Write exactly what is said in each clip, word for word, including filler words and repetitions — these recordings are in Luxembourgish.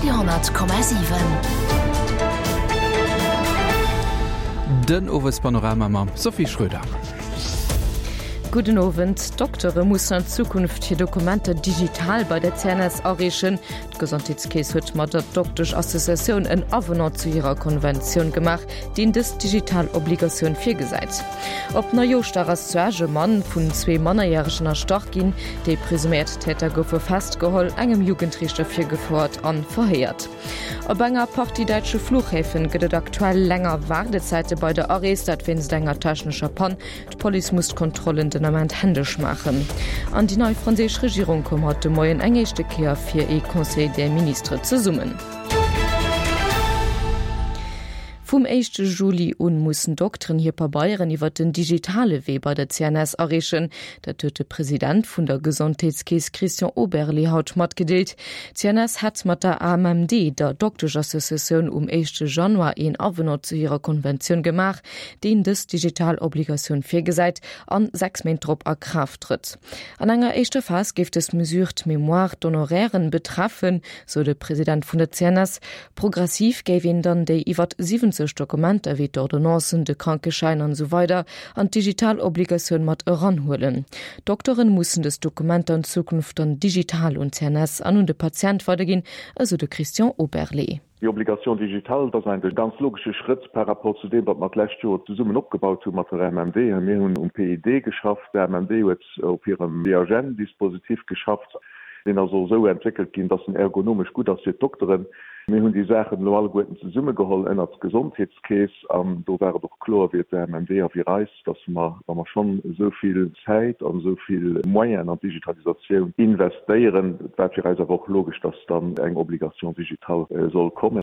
Radio honnert Komma siwen. Den Owespanorama mam Sophie Schröder. Gudden Owend. D'Doktere mussen an Zukunft hir Dokumenter digital bei der C N S areechen. D'Gesondheetskeess huet mat der Doktesch-Associatioun en Avenant zu hirer Konventioun gemaach, deen dës digital Obligatioun virgesäit. Op Neijooschdag ass zu Esch e Mann vun zwee Mannerjäregen erstach ginn. Déi presuméiert Täter goufe festgeholl, engem Jugendriichter virgefouert an verhéiert. Op enger Partie däitsche Fluchhäfen gëtt et aktuell länger Waardezäite bei der Arees, dat wéinst enger technescher Pann. D'Police muss d'Kontrollen den Ament händesch maachen. An déi nei franséisch Regierung koum haut de Moien eng éischte Kéier fir ee Conseil des ministres zesummen. Vum éischte Juli un mussen Dokteren hir Pabeieren iwwer den digitale Wee bei der C N S areechen. Dat huet de President vun der Gesondheetskeess Christian Oberlé haut matgedeelt. D'C N S hätt mat der A M M D, der Dokteschassoziatioun, um éischte Januar een Avenant zu hirer Konventioun gemaach, deen dës digital Obligatioun virgesäit an sechs Méint drop a Kraaft trëtt. An enger éischter Phas géif dës Mesure d'Mémoire d'honorairen betreffen, sou de President vun der C N S. Progressiv géif een dann déi iwwer siwwenzeg Dokumenter wéi d'Ordonnancen, de Krankeschäin an esou weider an d'digital Obligatioun mat eranhuelen. Dokteren mussen dës Dokumenter an Zukunft dann digital un d'C N S an un de Patient weiderginn, esou de Christian Oberlé. Déi Obligation digitale, dat ass eigentlech e ganz logesche Schrëtt par rapport zu deem, wat mer d'lescht Joer zesummen opgebaut hu mat der A M M D. Mir hunn um P I D geschafft, d'A M M D huet op hirem B H N-Dispositif geschafft. Deen ass och esou entwéckelt ginn, dass en ergonomesch gutt ass fir d'Dokteren. Mir hunn déi Saachen elo alleguerten zesummegeholl ënnert d'Gesondheetskeess an do war et och kloer wéi et der A M M D a wéi eis, dass mer, wa mer schonn esou vill Zäit an esou vill Moyenen an d'Digitalisatioun investéieren, et war fir eis awer och logesch, dass dann eng Obligation digitale soll kommen.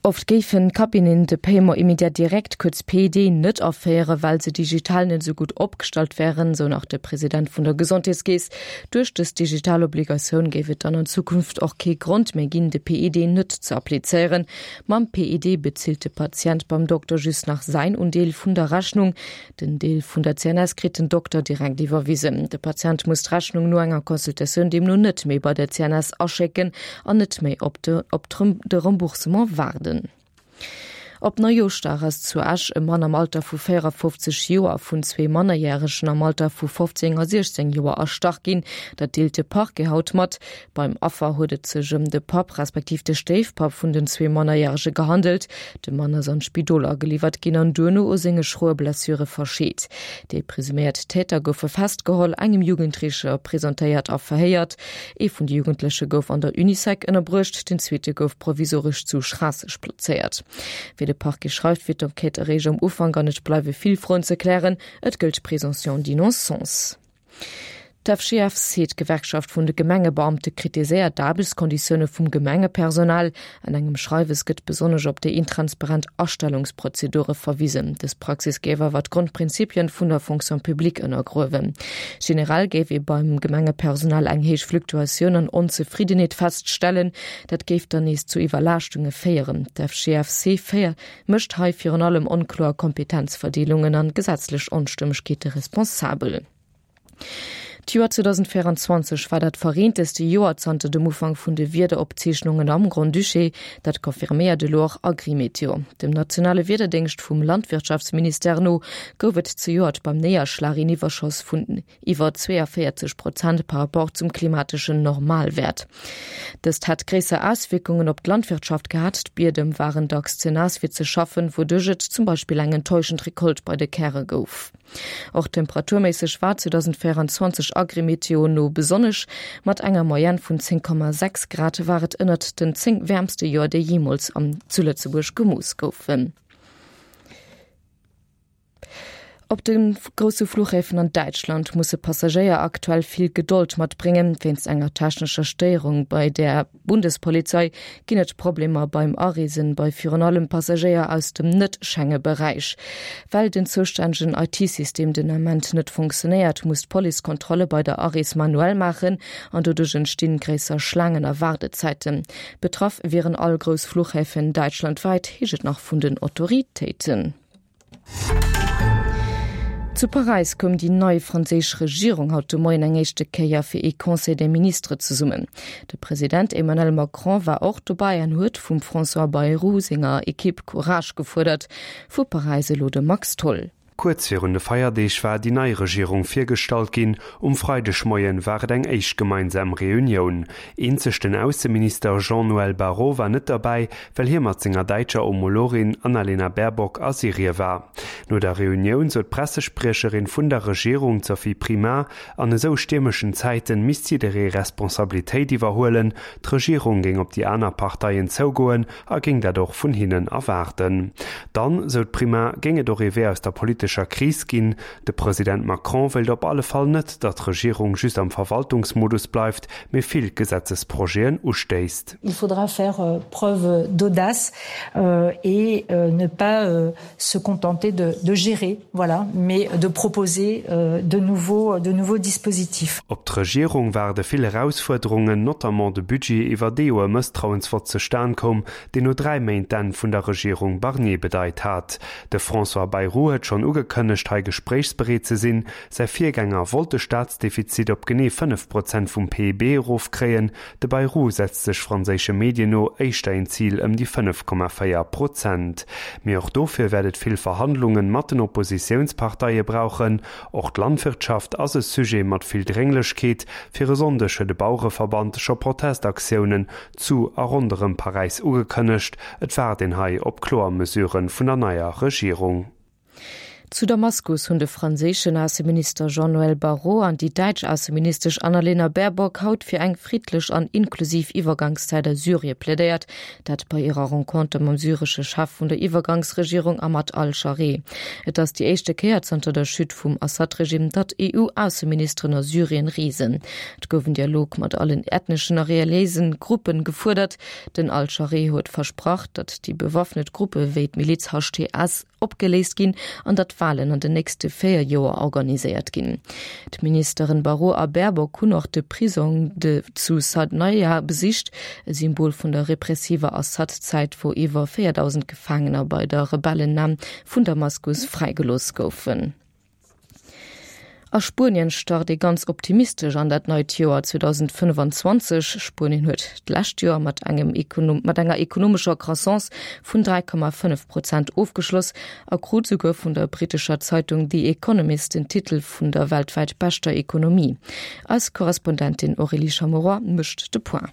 Oft géifen Cabinen de Paiement immédiat direct, kuerz P I D, net aféieren, well se digital net esou gutt opgestallt wären, sou nach de President vun der Gesondheetskeess. Duerch dës digital Obligatioun géif et dann an Zukunft och kee Grond méi ginn, de P I D net ze applizéieren. Mam P I D bezilt de Patient beim Dokter just nach säin Undeel vun der Rechnung. Den Deel vun der C N S kritt den Dokter direkt iwwerwisen. De Patient muss d'Rechnung no enger Consultatioun deemno net méi bei der C N S aschécken an net méi op de, op de Remboursement waarden. Op Neijooschdag ass zu Esch e Mann am Alter vu véierafofzeg Joer vun zwee Mannerjäregen am Alter vu fofzéng a siechzéng Joer erstach ginn. Dat deelt de Parquet haut mat. Beim Affer huet et sech ëm de Papp respektiv de Stéifpapp vun den zwee Mannerjärege gehandelt. De Mann ass an d'Spidol ageliwwert ginn an duerno u senge schroe Blessure verscheet. Déi presuméiert Täter goufe festgeholl, engem Jugendrichter presentéiert a verhéiert. Ee vun de Jugendleche gouf an der Unisec ënnerbruecht, den zweete gouf provisoresch zu Schraasseg plazéiert. Wéi de Parquet schreift, wird d'Enquête eréischt am Ufank an et bleiwe vill Froen ze klären. Et gëllt Présomption d'innocence. D'F G F C, d'Gewerkschaft vun de Gemengebeamte, kritiséiert d'Aarbechtskonditioune vum Gemengepersonal. An engem Schreiwes gëtt besonnesch op déi intransparent Astellungsprozedure verwisen. Dës Praxis géif awer d'Grondprinzipien vun der Fonction publique ënnergruewen. Generell géif ee beim Gemengepersonal eng héich Fluktuatioun an Onzefriddenheet feststellen. Dat géif dann nees zu Iwwerlaaschtunge féieren. D'F G F C féier mécht hei virun allem onkloer Kompetenzverdeelungen an gesetzlech Onstëmmegkeete responsabel. D'Joer zweitausendvierundzwanzeg war dat verreenteste Joer zanter dem Ufank vun de Wiederopzeechnungen am Grand-Duché, dat confirméiert elo och Agrimeteo. Dem nationale Wiederdéngscht vum Landwirtschaftsministère no gouf et zejoert beim Néierschlag een Iwwerschoss vun iwwer zweiundvierzeg Prozent par rapport zum klimateschen Normalwert. Dëst hat gréisser Auswirkungen op d'Landwirtschaft gehat. D'Biedem waren dacks ze naass fir ze schaffen, wouduerch et zum Beispill eng enttäuschend Rekolt bei de Käre gouf. Och temperaturméisseg war zweitausendvierundzwanzeg Agrimeteo no besonnesch. Mat enger Moyenne vun zéng Komma sechs Grad war et ënnert den zéng wärmste Joer, déi jeemools am zu Lëtzebuerg gemooss goufen. Op den grousse Fluchhäfen an Däitschland musse Passagéier aktuell vill Gedold matbréngen. Wéinst enger technescher Stéierung bei der Bundespolizei ginn et Problemer beim Areesen bei virun allem Passagéier aus dem Net-Schengen-Beräich. Well den zoustännegen I T-System den Ament net funktionéiert, muss d'Police Kontrolle bei der Arees manuell maachen an doduerch entstinn gréisser Schlaangen a Waardezäiten. Betraff wieren all grouss Fluchhäfen deutschlandweit, heescht et nach vun den Autoritéiten. Zu Paräis koum déi nei franséisch Regierung haut de Moien eng éischte Kéier fir ee Conseil des ministres zesummen. De President Emmanuel Macron war och dobäi an huet vum François Bayrou senger Ekipp Courage gefuerdert. Vu Paräis elo de Max Tholl. Kuerz virun de Feierdeeg war déi nei Regierung virgestallt ginn. Um Freidegmoien war et eng éischt gemeinsam Reunioun. Eenzeg den Ausseminister Jean-Noël Barrot war net derbäi, well hie mat senger däitscher Homologin Annalena Baerbock a Syrie war. No der Reunioun sot d'Pressespriecherin vun der Regierung Sophie Primas, an esou stiermeschen Zäiten misst jidderee Responsabilitéit iwwerhuelen, d'Regierung géing op déi aner Parteien zougoen a géing dat och vun hinnen erwaarden. Dann, sou d'Primas, géing et och ee Wee aus der politescher Kris ginn. De President Macron wéilt op alle Fall net, datt d'Regierung just am Verwaltungsmodus bleift, mee vill Gesetzesprojeten ustéisst. Il faudra faire preuve d'audace et ne pas se contenter de de gérer, voilà, mais de proposer de nouveaux de nouveaux dispositifs. Op d'Regierung waarde vill Erausfuerderungen, notamment de Budget, iwwer dee jo e Mësstrauensvott zustan koum, deen no dräi Méint d'Enn vun der Regierung Barnier bedeit hat. De François Bayrou huet schonn ugekënnegt, hei gespréichsbereet ze sinn. Säi Virgänger wollt de Staatsdefizit op genee fënnef Prozent vum P I B erofkréien. De Bayrou setzt sech franséische Medien no éischter een Zil ëm déi fënnef Komma véier Prozent. Mee och dofir wäert et vill Verhandlunge mat den Oppositiounsparteie brauchen. Och d'Landwirtschaft ass e Sujet mat vill Drénglechkeet. Fir e Sonndeg huet de Bauereverband scho Protestaktiounen zu a ronderëm Paräis ugekënnegt. Et waart een hei op kloer Mesurë vun der neier Regierung. Zu Damaskus hunn de franséischen Ausseminister Jean-Noël Barrot an déi däitsch Ausseministesch Annalena Baerbock haut fir eng friddlech an inklusiv Iwwergangszäit a Syrie plädéiert, dat bei hirer Renconter mam syresche Chef vun der Iwwergangsregierung Ahmad al-Scharee. Et ass déi éischte Kéier zanter der Chute vum Assad-Regime, datt E U-Ausseministeren a Syrien reesen. Et gouf en Dialog mat allen ethneschen a reliéisen Gruppen gefuerdert. Den al-Scharee huet versprach, datt déi bewaffnet Gruppe wéi d'Miliz H T S opgeléist ginn an datt Wahlen an den nächste véier Joer organiséiert ginn. D'Ministeren Barrot a Baerbock hunn och de Prisong de zu Saydnaya besicht, e Symbol vun der repressiver Assad-Zäit, wou iwwer véierdausend Gefaangener bei der Rebellennam vun Damaskus fräigelooss goufen. A Spuenien start ee ganz optimistesch an dat neit Joer zweedausendfënnfanzwanzeg. Spuenien huet d'lescht Joer mat engem Ekonom-, mat enger ekonomescher Croissance vun dräi Komma fënnef Prozent ofgeschloss a krut souguer vun der brittescher Zeitung The Economist den Titel vun der weltwäit beschter Ekonomie. Eis Korrespondentin Aurélie Chameroy mécht de Point.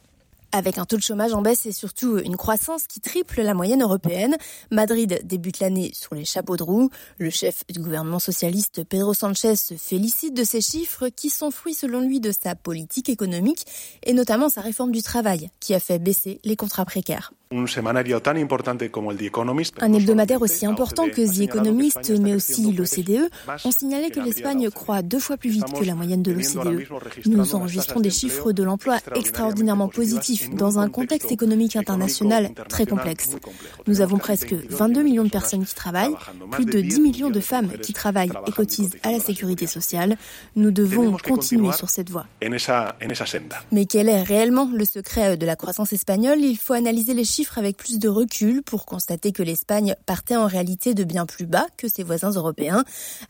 Avec un taux de chômage en baisse et surtout une croissance qui triple la moyenne européenne, Madrid débute l'année sur les chapeaux de roue. Le chef du gouvernement socialiste Pedro Sanchez se félicite de ces chiffres qui sont fruits selon lui de sa politique économique et notamment sa réforme du travail qui a fait baisser les contrats précaires. Un semanario tan importante como el The Economist, Un hebdomadaire aussi important que The Economist, mais aussi l'O C D E, ont signalé que l'Espagne croît deux fois plus vite que la moyenne de l'O C D E. Nous enregistrons des chiffres de l'emploi extraordinairement positifs dans un contexte économique international très complexe. Nous avons presque vingt-deux millions de personnes qui travaillent, plus de dix millions de femmes qui travaillent et cotisent à la sécurité sociale. Nous devons continuer sur cette voie. En esa, en esa senda. Mais quel est réellement le secret de la croissance espagnole? Il faut analyser les chiffres avec plus de recul pour constater que l'Espagne partait en réalité de bien plus bas que ses voisins européens.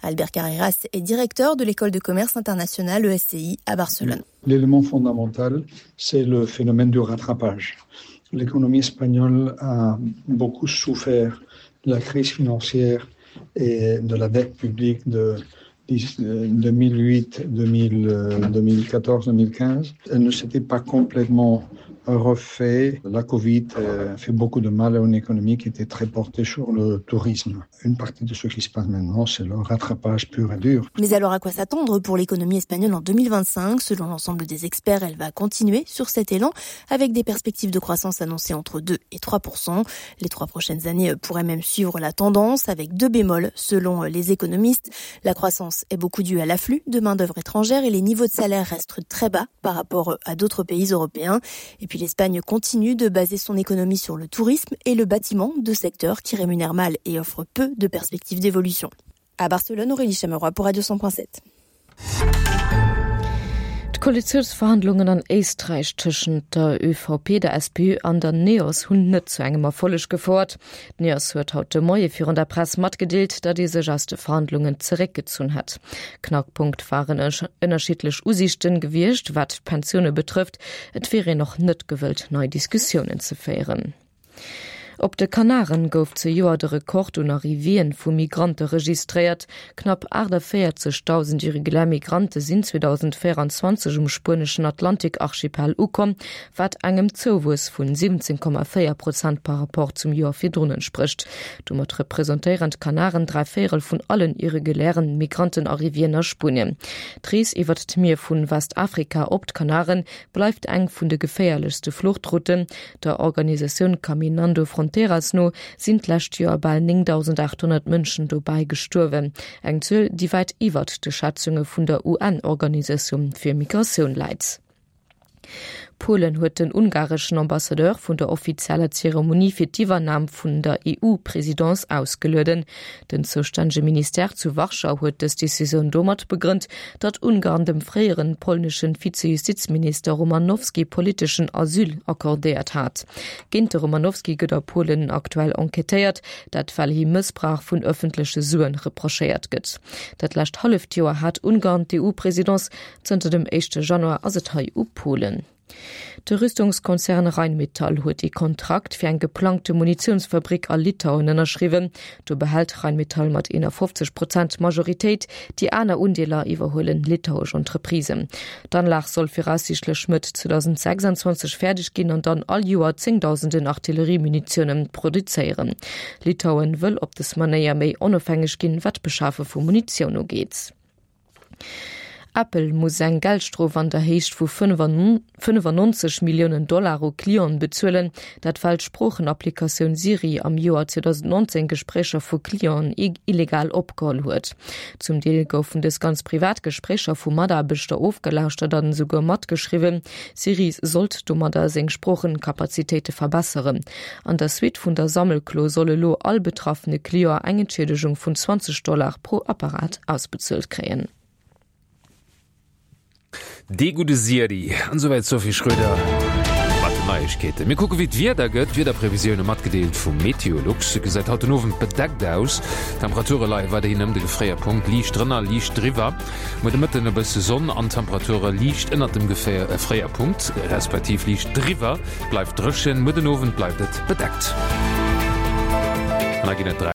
Albert Carreras est directeur de l'école de commerce internationale E S C I à Barcelone. L'élément fondamental, c'est le phénomène du rattrapage. L'économie espagnole a beaucoup souffert de la crise financière et de la dette publique de deux mille huit, deux mille, deux mille quatorze, deux mille quinze. Elle ne s'était pas complètement refait. La Covid a fait beaucoup de mal à une économie qui était très portée sur le tourisme. Une partie de ce qui se passe maintenant, c'est le rattrapage pur et dur. Mais alors à quoi s'attendre pour l'économie espagnole en deux mille vingt-cinq? Selon l'ensemble des experts, elle va continuer sur cet élan avec des perspectives de croissance annoncées entre deux et trois pour cent. Les trois prochaines années pourraient même suivre la tendance avec deux bémols selon les économistes. La croissance est beaucoup due à l'afflux de main-d'œuvre étrangère et les niveaux de salaire restent très bas par rapport à d'autres pays européens. Et puis l'Espagne continue de baser son économie sur le tourisme et le bâtiment, deux secteurs qui rémunèrent mal et offrent peu de perspectives d'évolution. À Barcelone, Aurélie Chameroy pour Radio cent point sept. D'Koalitiounsverhandlungen an Éisträich tëschent der ÖVP, der SPÖ an der NEOS hunn net zu engem Erfolleg gefouert. D'NEOS huet haut de Moie virun der Press matgedeelt, datt ee sech aus de Verhandlungen zeréckgezunn hätt. Knackpunkt waren ënnerschiddlech Usiichten gewiescht, wat d'Pensioune betrëfft. Et wier een och net gewëllt, nei Diskussiounen ze féieren. Op de Kanaren gouf zejoert de Rekord un Arrivéeën vu Migrante registréiert. Knapp aachtavéierzegdausend irregulär Migrante sinn zweedausendvéierenzwanzeg um spueneschen Atlantik-Archipel ukomm, wat engem Zouwuess vun siwwenzéng Komma véier Prozent par Rapport zum Joer virdrun entsprécht. Domat representéieren d'Kanaren dräi Véierel vun allen irregulären Migrantenarrivéeën a Spuenien. D'Rees iwwert d'Mier vun Westafrika op d'Kanaren bleift eng vun de geféierlechste Fluchtrouten. Der Organisatioun Caminando Fronteras no sinn d'lescht Joer bal néngdausendachthonnert Mënschen dobäi gestuerwen, eng Zuel, déi wäit iwwert de Schätzunge vun der U N-Organisatioun fir Migratioun läit. Polen huet den ungareschen Ambassadeur vun der offizieller Zeremonie fir d'Iwwernam vun der E U-Presidence ausgelueden. Den zoustännege Ministère zu Warschau huet dës Decisioun domat begrënnt, datt Ungarn dem fréieren polneschen Vize-Justizminister Romanowski politeschen Asyl accordéiert hat. Géint de Romanowski gëtt a Polen aktuell enquêtéiert, dat well him Mëssbrauch vun ëffentleche Suen reprochéiert gëtt. Dat lescht halleft Joer hat Ungarn d'E U-Presidence, zënter dem éischte Januar ass et hei u Polen. De Rüstungskonzern Rheinmetall huet ee Kontrakt fir eng geplangte Munitiounsfabrik a Litauen ënnerschriwwen. Do behält Rheinmetall mat eenafofzeg Prozent d'Majoritéit, déi aner Undeeler iwwerhuelen litauesch Entreprisen. D'Anlag soll viraussiichtlech Mëtt zweedausendsechsanzwanzeg fäerdeg ginn an dann all Joer zéngdausenden Artilleriemunitiounen produzéieren. Litauen wëll op des Manéier méi onofhängeg ginn, wat d'Beschafe vu Munitioun ugeet. Apple muss eng Geldstrof an der Héicht vu fënnefannonzeg Milliounen Dollar u Clienten bezuelen, dat well d'Sproochenapplikatioun Siri am Joer zweedausendnonzéng Gespréicher vu Clienten illegal opgeholl huet. Zum Deel goufen dës ganz privat Gespréicher vu Mataarbechter ofgelauschtert an esouguer matgeschriwwen. Siri sollt domadder seng Sproochenkapazitéite verbesseren. An der Suite vun der Sammelklo soll elo all betraffene Client eng Entschiedegung vun zwanzeg Dollar pro Apparat ausbezuelt kréien. Dee gudde Siri. An souwäit d'Sophie Schröder mat den Neiegkeeten. Mir kucke wéi d'Wieder gëtt. D'Wiederprevisioune matgedeelt vu Meteolux. Et gesäit haut den Owend bedeckt aus. D'Temperature leie weiderhin ëm de Gefréierpunkt, liicht drënner, liicht driwwer. Muer de Mëtten e bësse Sonn an Temperature liicht ënnert dem Gefréierpunkt, respektiv liicht driwwer. Bleift dréchen. Muer den Owend bleift et bedeckt. An da ginn et dräi.